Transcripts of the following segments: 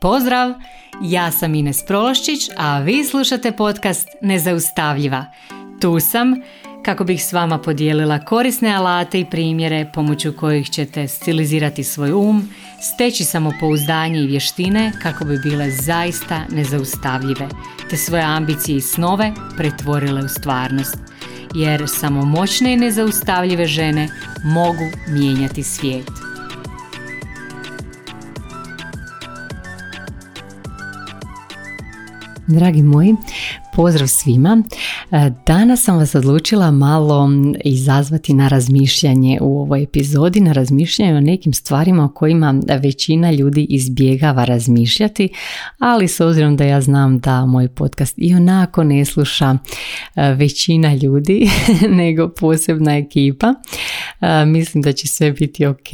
Pozdrav! Ja sam Ines Prološčić, a vi slušate podcast Nezaustavljiva. Tu sam kako bih s vama podijelila korisne alate i primjere pomoću kojih ćete stilizirati svoj steći samopouzdanje i vještine kako bi bile zaista nezaustavljive, te svoje ambicije i snove pretvorile u stvarnost. Jer samo moćne i nezaustavljive žene mogu mijenjati svijet. Dragi moji, pozdrav svima. Danas sam vas odlučila malo izazvati na razmišljanje u ovoj epizodi, na razmišljanje o nekim stvarima o kojima većina ljudi izbjegava razmišljati, ali s obzirom da ja znam da moj podcast i onako ne sluša većina ljudi, nego posebna ekipa, mislim da će sve biti ok,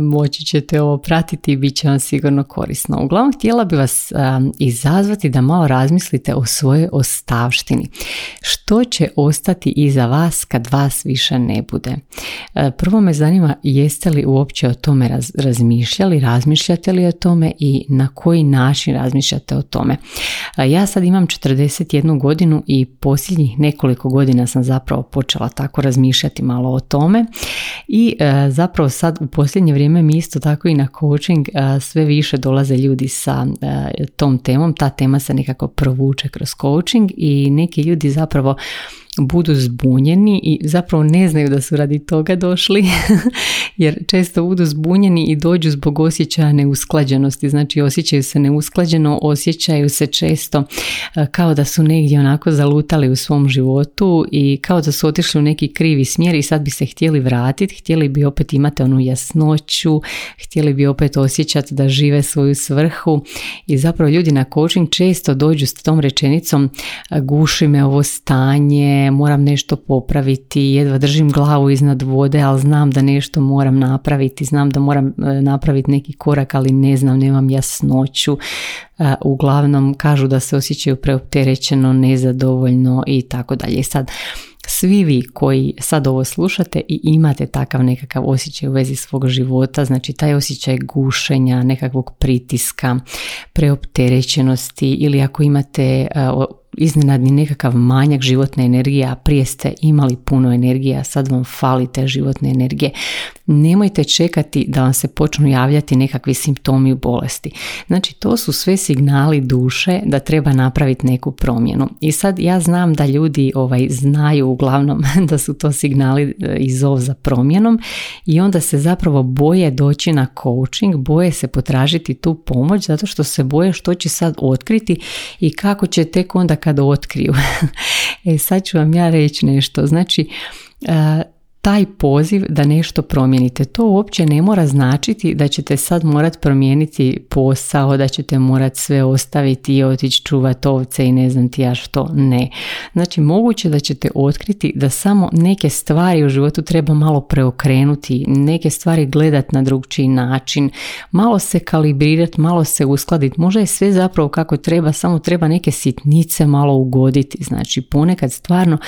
moći ćete ovo pratiti i bit će vam sigurno korisno. Uglavnom, htjela bi vas izazvati da malo razmislite o svojoj ostavštini. Što će ostati iza vas kad vas više ne bude? Prvo me zanima, jeste li uopće o tome razmišljali, razmišljate li o tome i na koji način razmišljate o tome? Ja sad imam 41 godinu i posljednjih nekoliko godina sam zapravo počela tako razmišljati malo o tome i zapravo sad u posljednje vrijeme mi isto tako i na coaching sve više dolaze ljudi sa tom temom. Ta tema se nekako provuče kroz coaching i neki ljudi zapravo budu zbunjeni i zapravo ne znaju da su radi toga došli jer često budu zbunjeni i dođu zbog osjećaja neusklađenosti, znači osjećaju se neusklađeno, osjećaju se često kao da su negdje onako zalutali u svom životu i kao da su otišli u neki krivi smjer i sad bi se htjeli vratiti, htjeli bi opet imati onu jasnoću, htjeli bi opet osjećati da žive svoju svrhu i zapravo ljudi na coaching često dođu s tom rečenicom guši me ovo stanje, moram nešto popraviti, jedva držim glavu iznad vode, ali znam da nešto moram napraviti, znam da moram napraviti neki korak, ali ne znam, nemam jasnoću. Uglavnom kažu da se osjećaju preopterećeno, nezadovoljno i tako dalje. Sad, svi vi koji sad ovo slušate i imate takav nekakav osjećaj u vezi svog života, znači taj osjećaj gušenja, nekakvog pritiska, preopterećenosti ili ako imate iznenadni nekakav manjak životne energije, a prije ste imali puno energije, a sad vam fali te životne energije. Nemojte čekati da vam se počnu javljati nekakvi simptomi u bolesti. Znači, to su sve signali duše da treba napraviti neku promjenu. I sad ja znam da ljudi znaju uglavnom da su to signali i zov za promjenom i onda se zapravo boje doći na coaching, boje se potražiti tu pomoć zato što se boje što će sad otkriti i kako će tek onda kada otkriju. Sad ću vam ja reći nešto. Znači, taj poziv da nešto promijenite, to uopće ne mora značiti da ćete sad morati promijeniti posao, da ćete morati sve ostaviti i otići čuvati ovce i ne znam ti ja što, ne. Znači, moguće da ćete otkriti da samo neke stvari u životu treba malo preokrenuti, neke stvari gledati na drugčiji način, malo se kalibrirati, malo se uskladiti, možda je sve zapravo kako treba, samo treba neke sitnice malo ugoditi. Znači, ponekad stvarno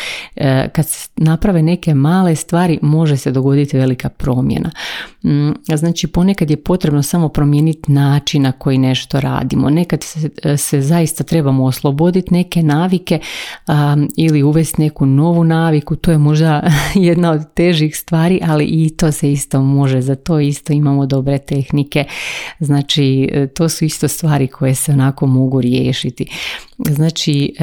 kad se naprave neke male stvari može se dogoditi velika promjena. Znači, ponekad je potrebno samo promijeniti način na koji nešto radimo. Nekad se zaista trebamo osloboditi neke navike ili uvesti neku novu naviku. To je možda jedna od težih stvari, ali i to se isto može. Za to isto imamo dobre tehnike. Znači, to su isto stvari koje se onako mogu riješiti. Znači,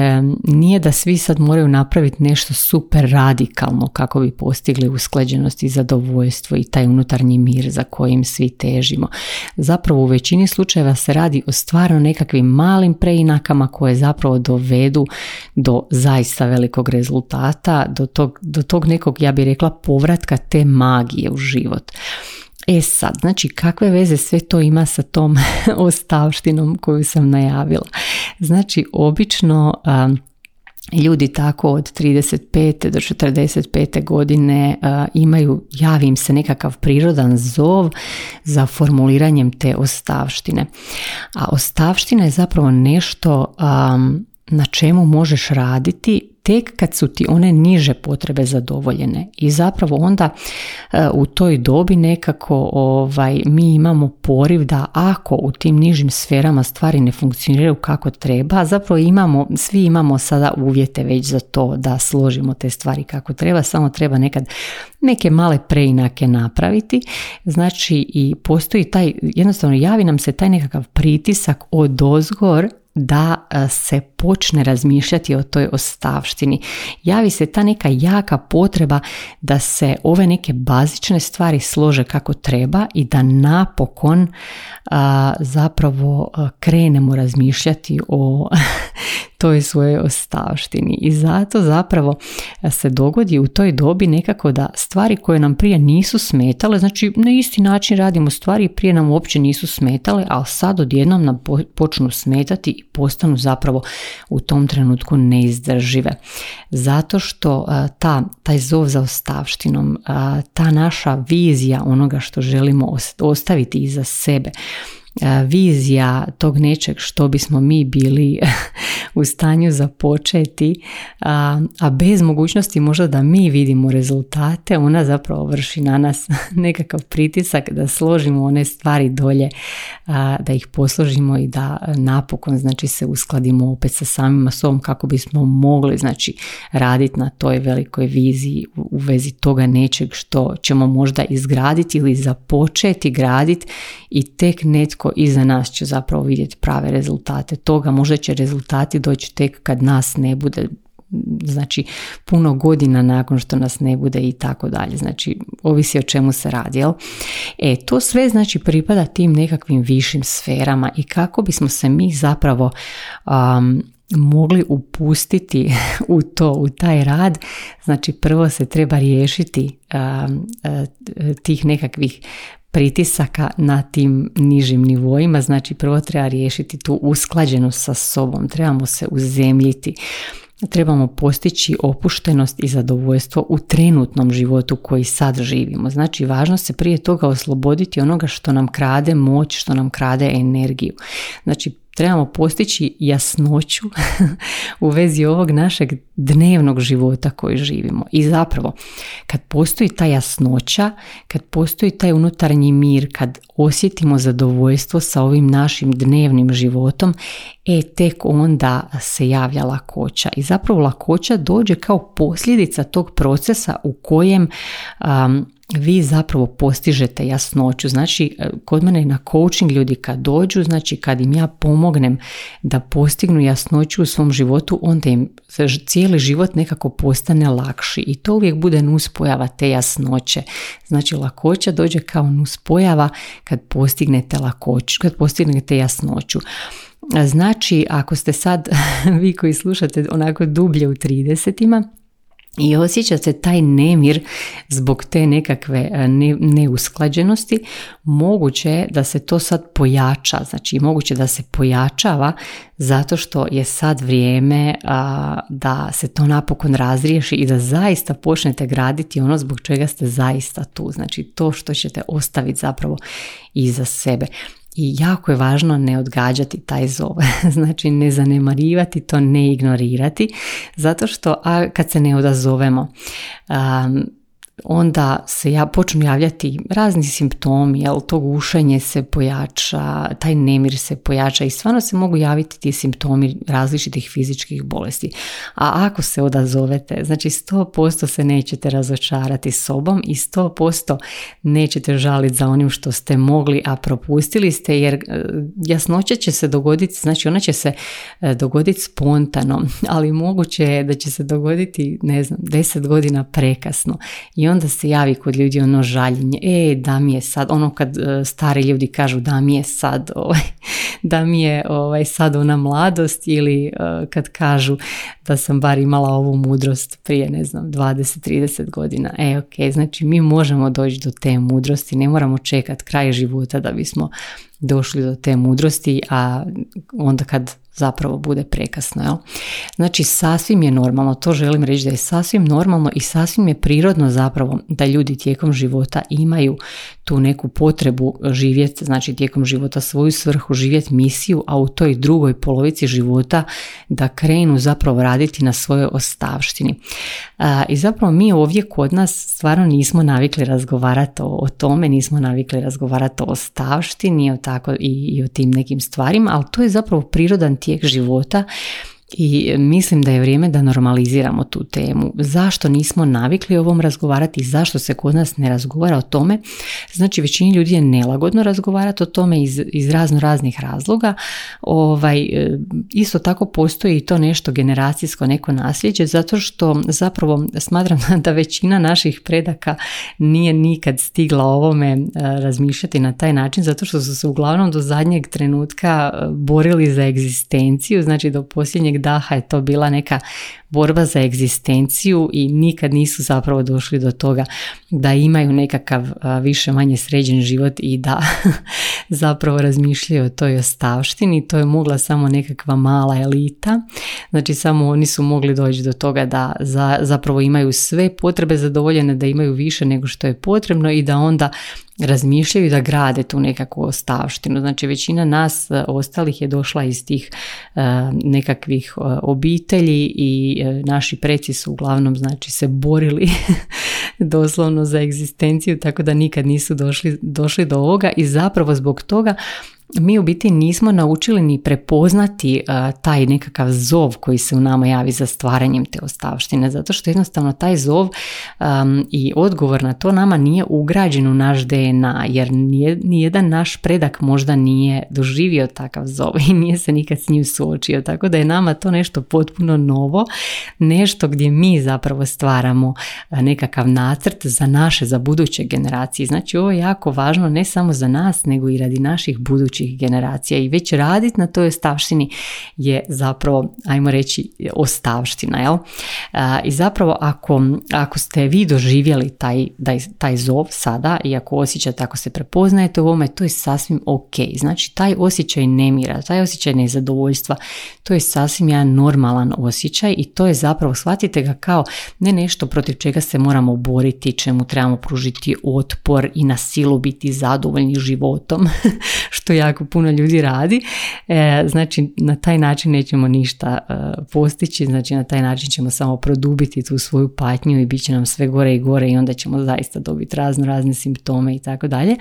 nije da svi sad moraju napraviti nešto super radikalno kako bi postigli usklađenost i zadovoljstvo i taj unutarnji mir za kojim svi težimo. Zapravo u većini slučajeva se radi o stvarno nekakvim malim preinakama koje zapravo dovedu do zaista velikog rezultata, do tog nekog, ja bih rekla, povratka te magije u život. Sad, znači, kakve veze sve to ima sa tom ostavštinom koju sam najavila? Znači, obično ljudi tako od 35. do 45. godine javi im se nekakav prirodan zov za formuliranjem te ostavštine. A ostavština je zapravo nešto na čemu možeš raditi tek kad su ti one niže potrebe zadovoljene. I zapravo onda u toj dobi nekako mi imamo poriv da ako u tim nižim sferama stvari ne funkcioniraju kako treba, zapravo svi imamo sada uvjete već za to da složimo te stvari kako treba, samo treba nekad neke male preinake napraviti. Znači i postoji jednostavno javi nam se taj nekakav pritisak odozgor da se počne razmišljati o toj ostavštini. Javi se ta neka jaka potreba da se ove neke bazične stvari slože kako treba i da napokon zapravo krenemo razmišljati o toj svojoj ostavštini. I zato zapravo se dogodi u toj dobi nekako da stvari koje nam prije nisu smetale, znači na isti način radimo stvari, prije nam uopće nisu smetale, ali sad odjednom nam počnu smetati i postanu zapravo u tom trenutku neizdržive. Zato što taj zov za ostavštinom, ta naša vizija onoga što želimo ostaviti iza sebe, vizija tog nečeg što bismo mi bili u stanju započeti, a bez mogućnosti možda da mi vidimo rezultate, ona zapravo vrši na nas nekakav pritisak da složimo one stvari dolje, da ih posložimo i da napokon znači se uskladimo opet sa samima sobom kako bismo mogli znači raditi na toj velikoj viziji u vezi toga nečeg što ćemo možda izgraditi ili započeti graditi i tek netko iza nas će zapravo vidjeti prave rezultate toga. Možda će rezultati doći tek kad nas ne bude, znači puno godina nakon što nas ne bude i tako dalje. Znači ovisi o čemu se radi, jel? To sve znači pripada tim nekakvim višim sferama i kako bismo se mi zapravo mogli upustiti u taj rad, znači prvo se treba riješiti tih nekakvih pritisaka na tim nižim nivoima, znači prvo treba riješiti tu usklađenost sa sobom, trebamo se uzemljiti, trebamo postići opuštenost i zadovoljstvo u trenutnom životu koji sad živimo. Znači važno se prije toga osloboditi onoga što nam krade moć, što nam krade energiju. Znači trebamo postići jasnoću u vezi ovog našeg dnevnog života koji živimo. I zapravo, kad postoji ta jasnoća, kad postoji taj unutarnji mir, kad osjetimo zadovoljstvo sa ovim našim dnevnim životom, tek onda se javlja lakoća. I zapravo lakoća dođe kao posljedica tog procesa u kojem vi zapravo postižete jasnoću. Znači, kod mene na coaching ljudi kad dođu, znači kad im ja pomognem da postignu jasnoću u svom životu, onda im cijeli život nekako postane lakši i to uvijek bude nuspojava te jasnoće. Znači, lakoća dođe kao nuspojava kad postignete lakoću, kad postignete jasnoću. Znači, ako ste sad, vi koji slušate onako dublje u 30-ima, i osjećate taj nemir zbog te nekakve neusklađenosti, moguće je da se to sad pojača, znači moguće da se pojačava zato što je sad vrijeme da se to napokon razriješi i da zaista počnete graditi ono zbog čega ste zaista tu, znači to što ćete ostaviti zapravo iza sebe. I jako je važno ne odgađati taj zov, znači ne zanemarivati to, ne ignorirati, zato što kad se ne odazovemo, onda se počnu javljati razni simptomi, jel, to gušenje se pojača, taj nemir se pojača i stvarno se mogu javiti ti simptomi različitih fizičkih bolesti. A ako se odazovete, znači 100% se nećete razočarati sobom i 100% nećete žaliti za onim što ste mogli, a propustili ste, jer jasnoća će se dogoditi, znači ona će se dogoditi spontano, ali moguće je da će se dogoditi, 10 godina prekasno. I onda se javi kod ljudi ono žaljenje, da mi je sad, ono kad stari ljudi kažu da mi je sad, da mi je sad ona mladost, ili kad kažu da sam bar imala ovu mudrost prije 20-30 godina. Ok, znači mi možemo doći do te mudrosti, ne moramo čekati kraj života da bismo došli do te mudrosti, a onda kad zapravo bude prekasno. Jel? Znači sasvim je normalno, to želim reći da je sasvim normalno i sasvim je prirodno zapravo da ljudi tijekom života imaju tu neku potrebu živjeti, znači tijekom života svoju svrhu, živjeti misiju, a u toj drugoj polovici života da krenu zapravo raditi na svojoj ostavštini. I zapravo mi ovdje kod nas stvarno nismo navikli razgovarati o tome, nismo navikli razgovarati o ostavštini i o tim nekim stvarima, ali to je zapravo prirodan tijek života. I mislim da je vrijeme da normaliziramo tu temu. Zašto nismo navikli o ovom razgovarati i zašto se kod nas ne razgovara o tome? Znači većini ljudi je nelagodno razgovarati o tome iz raznih razloga. Isto tako postoji i to nešto generacijsko, neko nasljeđe, zato što zapravo smatram da većina naših predaka nije nikad stigla o ovome razmišljati na taj način, zato što su se uglavnom do zadnjeg trenutka borili za egzistenciju, znači do posljednjeg daha je to bila neka borba za egzistenciju i nikad nisu zapravo došli do toga da imaju nekakav više manje sređen život i da zapravo razmišljaju o toj ostavštini. To je mogla samo nekakva mala elita, znači samo oni su mogli doći do toga da zapravo imaju sve potrebe zadovoljene, da imaju više nego što je potrebno i da onda razmišljaju da grade tu nekakvu ostavštinu. Znači većina nas ostalih je došla iz tih nekakvih obitelji i naši preci su uglavnom znači se borili doslovno za egzistenciju, tako da nikad nisu došli do ovoga i zapravo zbog toga mi u biti nismo naučili ni prepoznati taj nekakav zov koji se u nama javi za stvaranjem te ostavštine, zato što jednostavno taj zov i odgovor na to nama nije ugrađen u naš DNA, jer nijedan naš predak možda nije doživio takav zov i nije se nikad s njim suočio, tako da je nama to nešto potpuno novo, nešto gdje mi zapravo stvaramo nekakav nacrt za buduće generacije. Znači ovo je jako važno ne samo za nas, nego i radi naših budućih generacija i već raditi na toj ostavštini je zapravo, ajmo reći, ostavština. Jel? I zapravo ako ste vi doživjeli taj zov sada i ako osjećate, ako se prepoznajete u ovome, to je sasvim ok. Znači taj osjećaj nemira, taj osjećaj nezadovoljstva, to je sasvim jedan normalan osjećaj i to je zapravo, shvatite ga kao ne nešto protiv čega se moramo boriti, čemu trebamo pružiti otpor i na silu biti zadovoljni životom, što jako puno ljudi radi. Znači na taj način nećemo ništa postići, znači na taj način ćemo samo produbiti tu svoju patnju i bit će nam sve gore i gore i onda ćemo zaista dobiti razne simptome i tako dalje.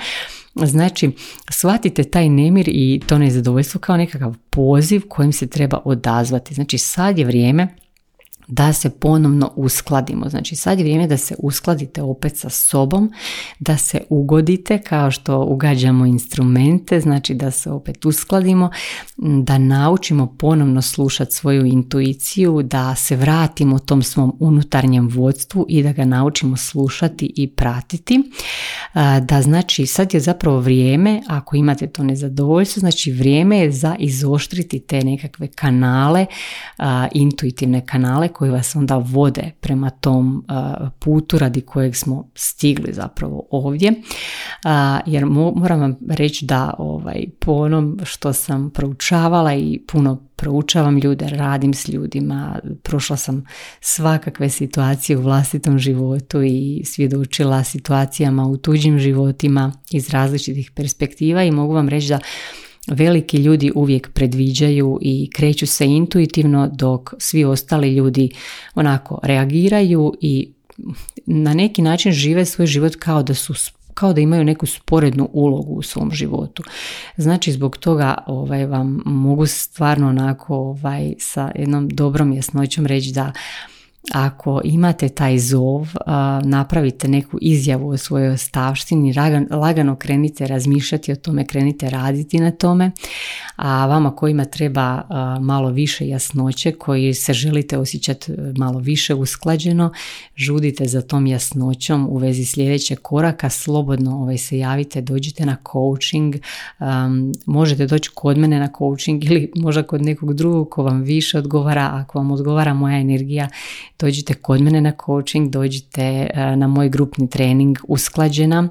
Znači, shvatite taj nemir i to nezadovoljstvo kao nekakav poziv kojim se treba odazvati. Znači, sad je vrijeme da se ponovno uskladimo. Znači sad je vrijeme da se uskladite opet sa sobom, da se ugodite kao što ugađamo instrumente, znači da se opet uskladimo, da naučimo ponovno slušati svoju intuiciju, da se vratimo tom svom unutarnjem vodstvu i da ga naučimo slušati i pratiti. Da znači sad je zapravo vrijeme, ako imate to nezadovoljstvo, znači vrijeme je za izoštriti te nekakve kanale, intuitivne kanale koji vas onda vode prema tom putu radi kojeg smo stigli zapravo ovdje. Jer moram vam reći da po onom što sam proučavala i puno proučavam ljude, radim s ljudima, prošla sam svakakve situacije u vlastitom životu i svjedočila situacijama u tuđim životima iz različitih perspektiva i mogu vam reći da veliki ljudi uvijek predviđaju i kreću se intuitivno dok svi ostali ljudi onako reagiraju i na neki način žive svoj život kao da imaju neku sporednu ulogu u svom životu. Znači zbog toga vam mogu stvarno onako sa jednom dobrom jasnoćom reći da ako imate taj zov, napravite neku izjavu o svojoj ostavštini, lagano krenite razmišljati o tome, krenite raditi na tome, a vama kojima treba malo više jasnoće, koji se želite osjećati malo više usklađeno, žudite za tom jasnoćom u vezi sljedećeg koraka, slobodno se javite, dođite na coaching, možete doći kod mene na coaching ili možda kod nekog drugog ko vam više odgovara. Ako vam odgovara moja energija, dođite kod mene na coaching, dođite na moj grupni trening usklađena.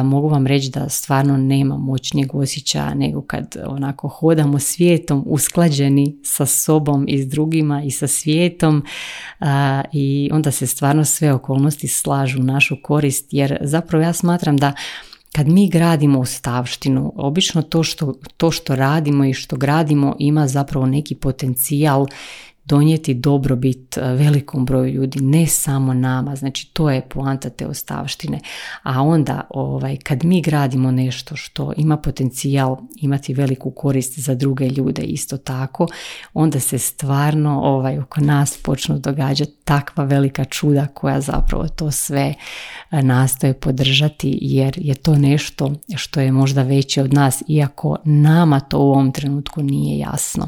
Mogu vam reći da stvarno nema moćnijeg osjećaja nego kad onako hodamo svijetom usklađeni sa sobom i s drugima i sa svijetom i onda se stvarno sve okolnosti slažu u našu korist, jer zapravo ja smatram da kad mi gradimo ostavštinu, obično to što radimo i što gradimo ima zapravo neki potencijal donijeti dobrobit velikom broju ljudi, ne samo nama, znači to je poanta te ostavštine. A onda kad mi gradimo nešto što ima potencijal imati veliku korist za druge ljude isto tako, onda se stvarno oko nas počnu događati takva velika čuda koja zapravo to sve nastoje podržati, jer je to nešto što je možda veće od nas, iako nama to u ovom trenutku nije jasno.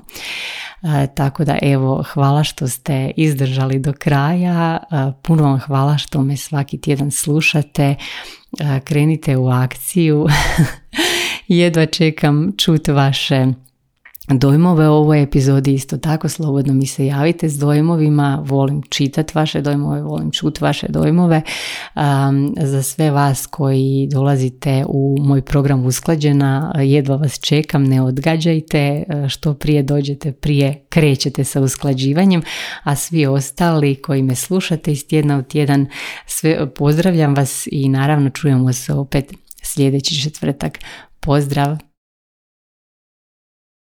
Tako da evo, hvala što ste izdržali do kraja, puno vam hvala što me svaki tjedan slušate, krenite u akciju, jedva čekam čuti vaše dojmove o ovoj epizodi, isto tako slobodno mi se javite s dojmovima, volim čitati vaše dojmove, volim čuti vaše dojmove. Za sve vas koji dolazite u moj program Usklađena, jedva vas čekam, ne odgađajte, što prije dođete, prije krećete sa usklađivanjem, a svi ostali koji me slušate iz tjedna u tjedan, sve pozdravljam vas i naravno čujemo se opet sljedeći četvrtak. Pozdrav!